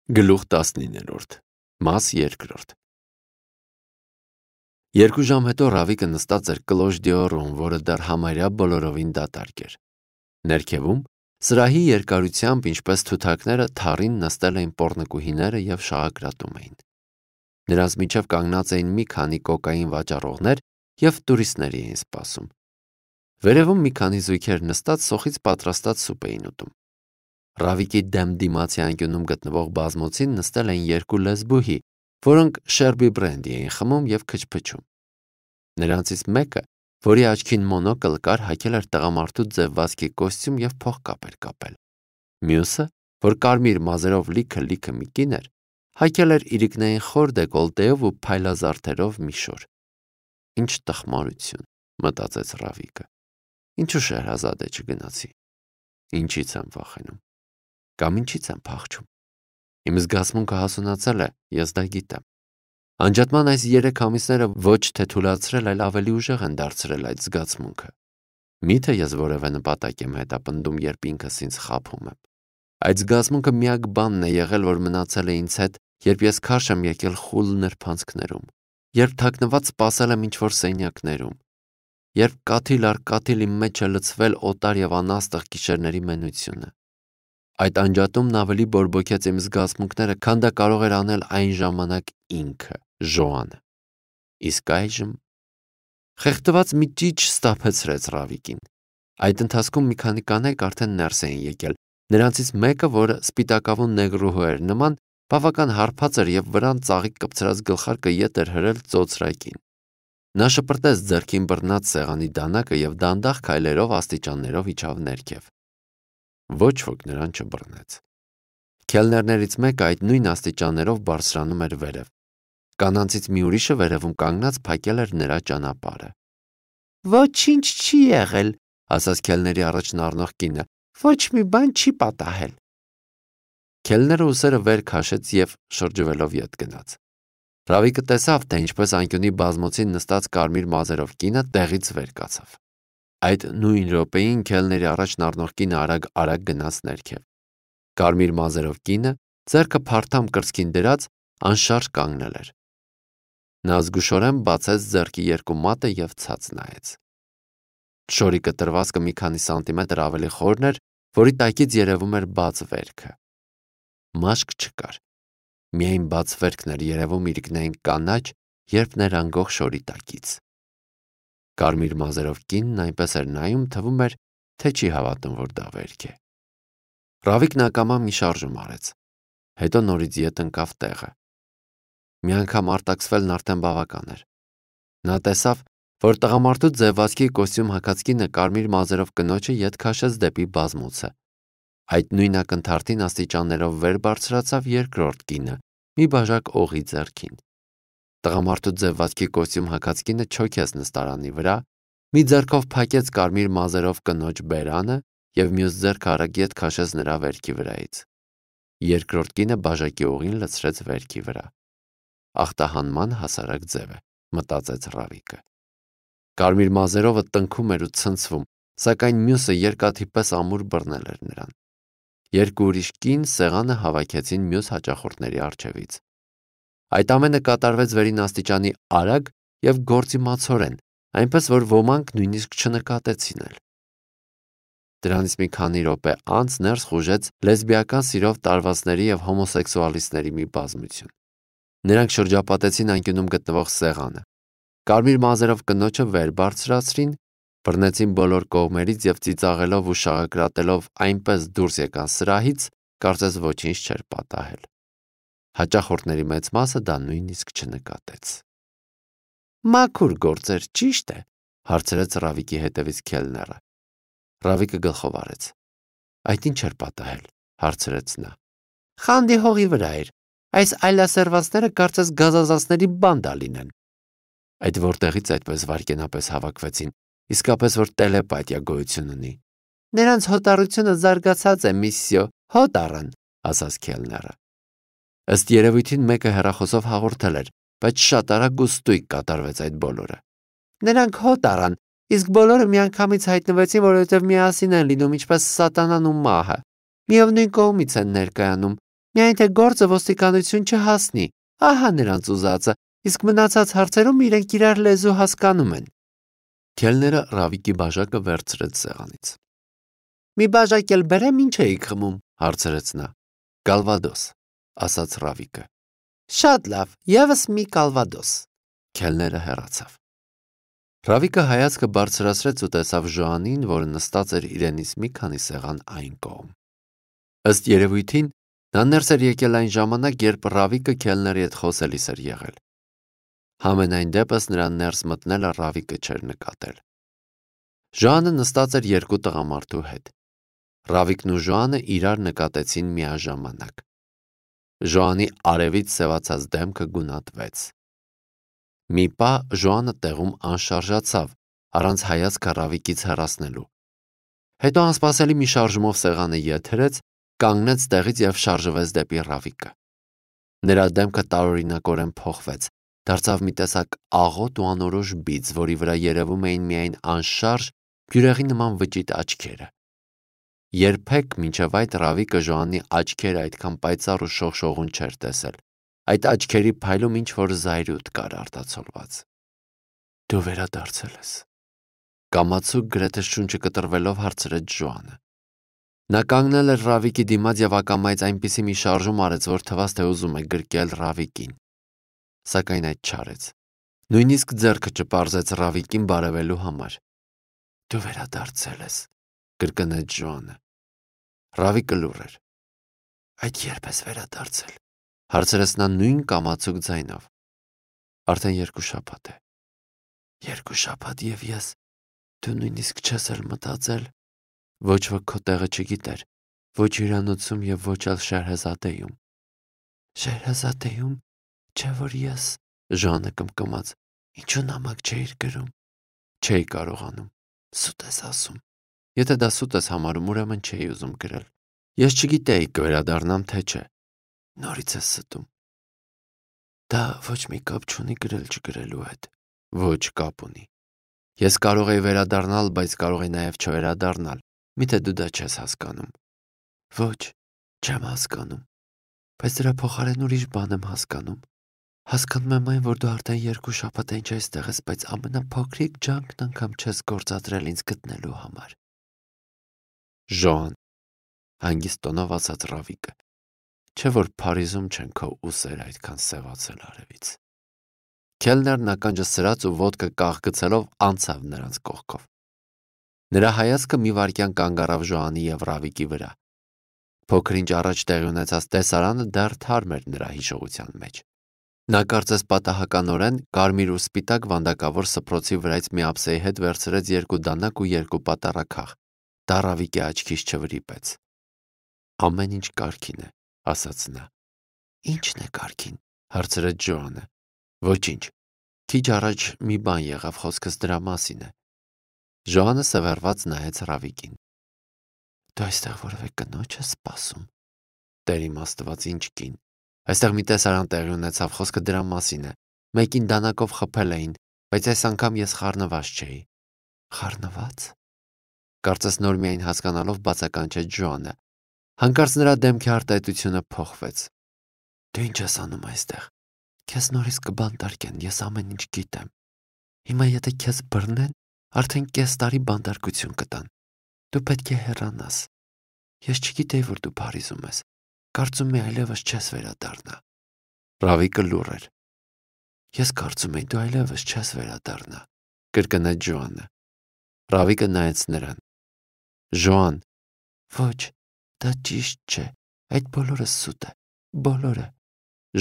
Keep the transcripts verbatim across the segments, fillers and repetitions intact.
Գլուխ տասնիններորդ, մաս երկրորդ։ Երկու ժամ հետո Ռավիկը նստած էր կլոժ դիորում, որը դեռ համարյա բոլորովին դատարկ էր։ Ներքևում, սրահի երկարությամբ, ինչպես թութակները, թառին նստել էին պոռնկուհիները և շաղակրատում էին։ Նրանց միջև կանգնած էին մի քանի կոկային վաճառողներ և տուրիստների էին սպասում։ Վերևում մի քանի զույգեր նստած սոխից պատրաստած սուպ էին ուտում։ Ռավիկի դեմ դիմացի անկյունում գտնվող բազմոցին նստել էին երկու լեսբուհի, որոնք շերբի բրենդի էին խմում և քչփչում։ Նրանցից մեկը, որի աչքին մոնոկլ կար, հագել էր տղամարդու ձևվածքի կոստյում և փողկապ էր կապել։ Մյուսը, որ կարմիր մազերով լիքը-լիքը մի կին էր, հագել էր իրիկնային խոր դեկոլտեով ու փայլազարդերով մի շոր։ Ինչ տխմարություն, մտածեց Ռավիկը։ Ինչու Շեհրազադե չգնացի։ Ինչից եմ վախենում։ Կամ ինչից եմ փախչում։ Իմ զգացմունքը հասունացել է, ես դա գիտեմ։ Անջատման այս երեք ամիսները ոչ թե թուլացրել, այլ ավելի ուժեղ են դարձրել այդ զգացմունքը։ Միթե ես որևէ նպատակ եմ հետապնդում, երբ ինքս ինձ խաբում եմ։ Այդ զգացմունքը միակ բանն է եղել, որ մնացել է ինձ հետ, երբ ես քարշ եմ եկել խուլ նրբանցքներում, երբ թաքնված սպասել եմ ինչ-որ սենյակներում, երբ կաթիլ առ կաթիլ իմ մեջ է լցվել օտար և անաստղ գիշերների մենությունը։ Այդ անջատումն ավելի բորբոքեց իմ զգացմունքները, քան դա կարող էր անել այն ժամանակ ինքը, Ժոանը։ Իսկ այժմ… Խեղդված մի ճիչ սթափեցրեց Ռավիկին։ Այդ ընթացքում մի քանի կանայք արդեն ներս էին եկել։ Նրանցից մեկը, որը սպիտակավուն նեգրուհու էր նման, բավական հարբած էր և վրան ծաղիկ կպցրած գլխարկը ետ էր հրել ծոծրակին։ Նա շպրտեց ձեռքին բռնած սեղանի դանակը և դանդաղ քայլերով աստիճաններով իջավ ներքև։ Ոչ ոք նրան չբռնեց։ Քելներներից մեկը այդ նույն աստիճաններով բարձրանում էր վերև։ Կանանցից մի ուրիշը վերևում կանգնած փակել էր նրա ճանապարհը։ Ոչինչ չի եղել, ասաց քելների առաջն առնող կինը։ Ոչ մի բան չի պատահել։ Քելները ուսերը վեր քաշեց և շրջվելով ետ գնաց։ Ռավիկը տեսավ, թե ինչպես անկյունի բազմոցին նստած կարմիր մազերով կինը տեղից վեր կացավ։ Այդ նույն րոպեին քելների առաջն առնող կինը արագ-արագ գնաց ներքև։ Կարմիր մազերով կինը, ձեռքը փարթամ կրծքին դրած, անշարժ կանգնել էր։ Նա զգուշորեն բացեց ձեռքի երկու մատը և ցած նայեց։ Շորի կտրվածքը մի քանի սանտիմետր ավելի խորն էր, որի տակից երևում էր բաց վերքը։ Մաշկ չկար։ Միայն բաց վերքն էր երևում իրիկնային կանաչ, երբ ներանգող շորի տակից։ Կարմիր մազերով կինն այնպես էր նայում, թվում էր, թե չի հավատում, որ դա վերք է։ Ռավիկն ակամա մի շարժում արեց։ Հետո նորից ետ ընկավ տեղը։ Մի անգամ արտաքսվելն արդեն բավական էր։ Նա տեսավ, որ տղամարդու ձևվածքի կոստյում հագած կինը կարմիր մազերով կնոջը ետ քաշեց դեպի բազմոցը։ Այդ նույն ակնթարթին աստիճաններով վեր բարձրացավ երկրորդ կինը, մի բաժակ օղի ձեռքին։ Տղամարդու ձևվածքի կոստյում հագած կինը չոքեց նստարանի վրա, մի ձեռքով փակեց կարմիր մազերով կնոջ բերանը և մյուս ձեռքը արագ ետ քաշեց նրա վերքի վրայից։ Երկրորդ կինը բաժակի օղին լցրեց վերքի վրա։ Ախտահանման հասարակ ձև է, մտածեց Ռավիկը։ Կարմիր մազերովը տնքում էր ու ցնցվում, սակայն մյուսը երկաթի պես ամուր բռնել էր նրան։ Երկու ուրիշ կին սեղանը հավաքեցին մյուս հաճախորդների առջևից։ Այդ ամենը կատարվեց վերին աստիճանի արագ և գործիմացորեն, այնպես որ ոմանք նույնիսկ չնկատեցին էլ։ Դրանից մի քանի րոպե անց ներս խուժեց լեսբիական սիրով տարվածների և հոմոսեքսուալիստների մի բազմություն։ Նրանք շրջապատեցին անկյունում գտնվող սեղանը։ Կարմիր մազերով կնոջը վեր բարձրացրին, բռնեցին բոլոր կողմերից և ծիծաղելով ու շաղակրատելով այնպես դուրս եկան սրահից, կարծես ոչինչ չէր պատահել։ Հաճախորդների մեծ մասը դա նույնիսկ չնկատեց։ Մաքուր գործեր, ճիշտ է, հարցրեց Ռավիկի հետևից քելները։ Ռավիկը գլխով արեց։ Այդ ինչ էր պատահել, հարցրեց նա։ Խանդի հողի վրա էր։ Այս այլասերվածները կարծես գազազանցների բանդա լինեն։ Այդ որտեղից այդպես վայրկենապես հավաքվեցին, իսկապես որ տելեպաթիա գոյություն ունի։ Նրանց հոտառությունը զարգացած է, միսյո, հոտ առան, ասաց քելները։ Ըստ երևույթին մեկը հեռախոսով հաղորդել էր, բայց շատ արագ ու ստույգ կատարվեց այդ բոլորը։ Նրանք հոտ առան, իսկ բոլորը միանգամից հայտնվեցին, որովհետև միասին են լինում, ինչպես սատանան ու մահը։ Միևնույն կողմից են ներկայանում, Միայն թե գործը ոստիկանություն չհասնի, ահա նրանց ուզածը, իսկ մնացած հարցերում իրենք իրար լեզու հասկանում են։ Քելները Ռավիկի բաժակը վերցրեց սեղանից։ Մի բաժակ էլ բերեմ, ինչ էիք խմում, հարցրեց նա։ Կալվադոս, ասաց Ռավիկը։ Շատ լավ, եւս մի կալվադոս։ Քելները հեռացավ։ Ռավիկը հայացքը բարձրացրեց ու տեսավ Ժոանին, որը նստած էր իրենից մի քանի սեղան այն կողմ։ Ըստ երևույթին, նա ներս էր եկել այն ժամանակ, երբ Ռավիկը քելների հետ խոսելիս էր եղել։ Համենայն դեպս նրան ներս մտնելը Ռավիկը չէր նկատել։ Ժոանը նստած էր երկու տղամարդու հետ։ Ռավիկն ու Ժոանը իրար նկատեցին միաժամանակ։ Ժոանի արևից սևացած դեմքը գունատվեց։ Մի պահ Ժոանը տեղում անշարժացավ, առանց հայացքը Ռավիկից հեռացնելու։ Հետո անսպասելի մի շարժումով սեղանը եթերեց, կանգնեց տեղից եւ շարժվեց դեպի Ռավիկը։ Նրա դեմքը տարօրինակորեն փոխվեց, դարձավ մի տեսակ աղոտ ու անորոշ բիծ, որի վրա երևում էին միայն անշարժ, բյուրեղի նման վճիտ աչքերը։ Երբեք մինչև այդ Ռավիկը Ժոանի աչքերը այդքան պայծառ ու շողշողուն չէր տեսել։ Այդ աչքերի փայլում ինչ որ զայրույթ կար արտացոլված։ Դու վերադարձել ես։ Կամացուկ գրեթե շունչը կտրվելով հարցրեց Ժոանը։ Նա կանգնել էր Ռավիկի դիմաց եւ ակամայից այնպիսի մի շարժում արեց, որ թվաց թե ուզում է գրկել Ռավիկին։ Սակայն այդ չարեց։ Նույնիսկ ձեռքը չպարզեց Ռավիկին բարևելու համար։ Դու վերադարձել ես, կրկնեց Ժոանը։ Ռավիկը լուռ էր։ Այդ երբ ես վերադարձել, հարցրեց նա նույն կամացուկ ձայնով։ Արդեն երկու շաբաթ է։ Երկու շաբաթ եւ ես, դու նույնիսկ չես էլ մտածել։ Ոչ ոք քո տեղը չգիտեր, ոչ հյուրանոցում եւ ոչ էլ Շերհեզադեյում։ Շերհեզադեյում, չէ՞ որ ես, Ժոանը կմկմաց, ինչու նամակ չէիր գրում։ Չէի կարողանում, սուտ ես ասում։ Եթե դա սուտ ես համարում, ուրեմն չէի ուզում գրել։ Ես չգիտեի կվերադառնամ թե չէ։ Նորից ես ստում։ Դա ոչ մի կապ չունի գրել չգրելու հետ։ Ոչ կապ ունի։ Ես կարող էի վերադառնալ, բայց կարող էի նաև չվերադառնալ։ Միթե դու դա չես հասկանում։ Ոչ, չեմ հասկանում։ Բայց դրա փոխարեն ուրիշ բան եմ հասկանում։ Հասկանում եմ այն, որ դու արդեն երկու շաբաթ ինչ այստեղ ես, բայց ամենափոքրիկ ջանքն անգամ չես գործադրել ինձ գտնելու համար։ Ժոան, հանգիստ տոնով ասաց Ռավիկը, չէ՞ որ Փարիզում չեն քո ուսերը այդքան սևացել արևից։ Քելներն ականջը սրած ու ոտքը կաղգցելով անցավ նրանց կողքով։ Նրա հայացքը մի վայրկյան կանգ առավ Ժոանի եւ Ռավիկի վրա։ Փոքր-ինչ առաջ տեղի ունեցած տեսարանը դեռ թարմ էր նրա հիշողության մեջ։ Նա կարծես պատահականորեն կարմիր ու սպիտակ վանդակավոր սփռոցի վրայից մի ափսեի հետ վերցրեց երկու դանակ ու երկու պատառաքաղ։ Դա Ռավիկի աչքից չվրիպեց։ Ամեն ինչ կարգին է, ասաց նա։ Ինչն է կարգին, հարցրեց Ժոանը։ Ոչինչ։ Քիչ առաջ մի բան եղավ, խոսքս դրա մասին է։ Ժոանը սևեռված նայեց Ռավիկին։ Դու այստեղ որևէ կնոջ ես սպասում։ Տեր իմ Աստված, ինչ կին։ Այստեղ մի տեսարան տեղի ունեցավ, խոսքը դրա մասին է։ Մեկին դանակով խփել էին, բայց այս անգամ ես խառնված չէի։ Խառնված։ Կարծես նոր միայն հասկանալով բացականչեց Ժոանը։ Հանկարծ նրա դեմքի արտահայտությունը փոխվեց։ Դու ինչ ես անում այստեղ։ Քեզ նորից կբանտարկեն, ես ամեն ինչ գիտեմ։ Հիմա եթե քեզ բռնեն, արդեն կես տարի բանտարկություն կտան։ Դու պետք է հեռանաս։ Ես չգիտեի, որ դու Փարիզում ես։ Կարծում եմ այլևս չես վերադառնա։ Ռավիկը լուռ էր։ Ես կարծում եմ դու այլևս չես վերադառնա, կրկնեց Ժոանը։ Ռավիկը նայեց նրան։ Ժոան, ոչ, դա ճիշտ չէ։ Այդ բոլորը սուտ է, բոլորը։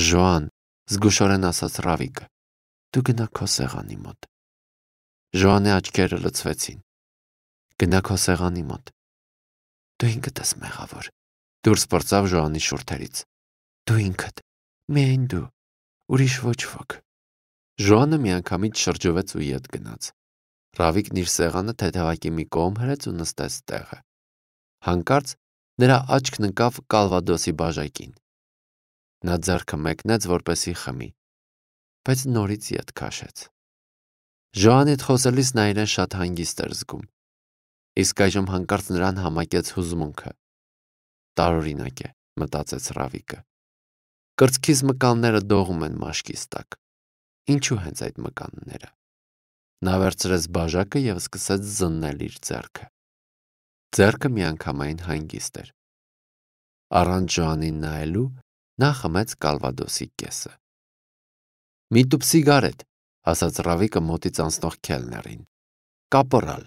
Ժոան, զգուշորեն ասաց Ռավիկը։ Դու գնա քո սեղանի մոտ։ Ժոանի աչքերը լցվեցին։ Գնա քո սեղանի մոտ։ Դու ինքդ ես մեղավոր։ Դուրս պրծավ Ժոանի շուրթերից։ Դու ինքդ, միայն դու, ուրիշ ոչ ոք։ Ժոանը միանգամից շրջվեց ու ետ գնաց։ Ռավիկն իր սեղանը թեթևակի մի կողմ հրեց ու նստեց տեղը։ Հանկարծ նրա աչքն ընկավ կալվադոսի բաժակին։ Նա ձեռքը մեկնեց, որպեսի խմի, բայց նորից ետ քաշեց։ Ժոանի հետ խոսելիս նա իրեն շատ հանգիստ էր զգում։ Իսկ այժմ հանկարծ նրան համակեց հուզմունքը։ Տարօրինակ է, մտածեց Ռավիկը։ Կրծքիս մկանները դողում են մաշկիս տակ։ Ինչու հենց այդ մկանները։ Նա վերցրեց բաժակը և սկսեց զննել իր ձեռքը։ Ձեռքը միանգամայն հանգիստ էր։ Առանց Ժոանին նայելու նա խմեց կալվադոսի կեսը։ «Մի տուփ սիգարետ», ասաց Ռավիկը մոտից անցնող քելներին։ «Կապորալ»։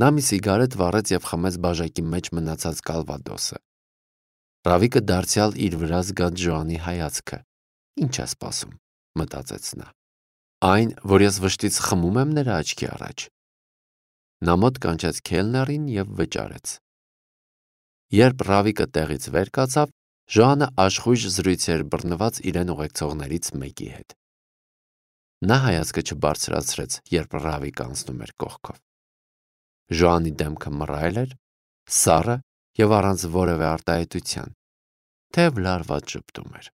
Նա մի սիգարետ վառեց և խմեց բաժակի մեջ մնացած կալվադոսը։ Ռավիկը դարձյալ իր վրա զգաց Ժոանի հայացքը։ Ինչ է սպասում, մտածեց նա։ Այն, որ ես վշտից խմում եմ նրա աչքի առաջ։ Նա մոտ կանչեց քելներին և վճարեց։ Երբ Ռավիկը տեղից վեր կացավ, Ժոանը աշխույժ զրույց էր բռնված իրեն ուղեկցողներից մեկի հետ։ Նա հայացքը չբարձրացրեց, երբ Ռավիկը անցնում էր կողքով։ Ժոանի դեմքը մռայլ էր, սառը և առանց որևէ արտահայտության, թեև լարված ժպտում էր։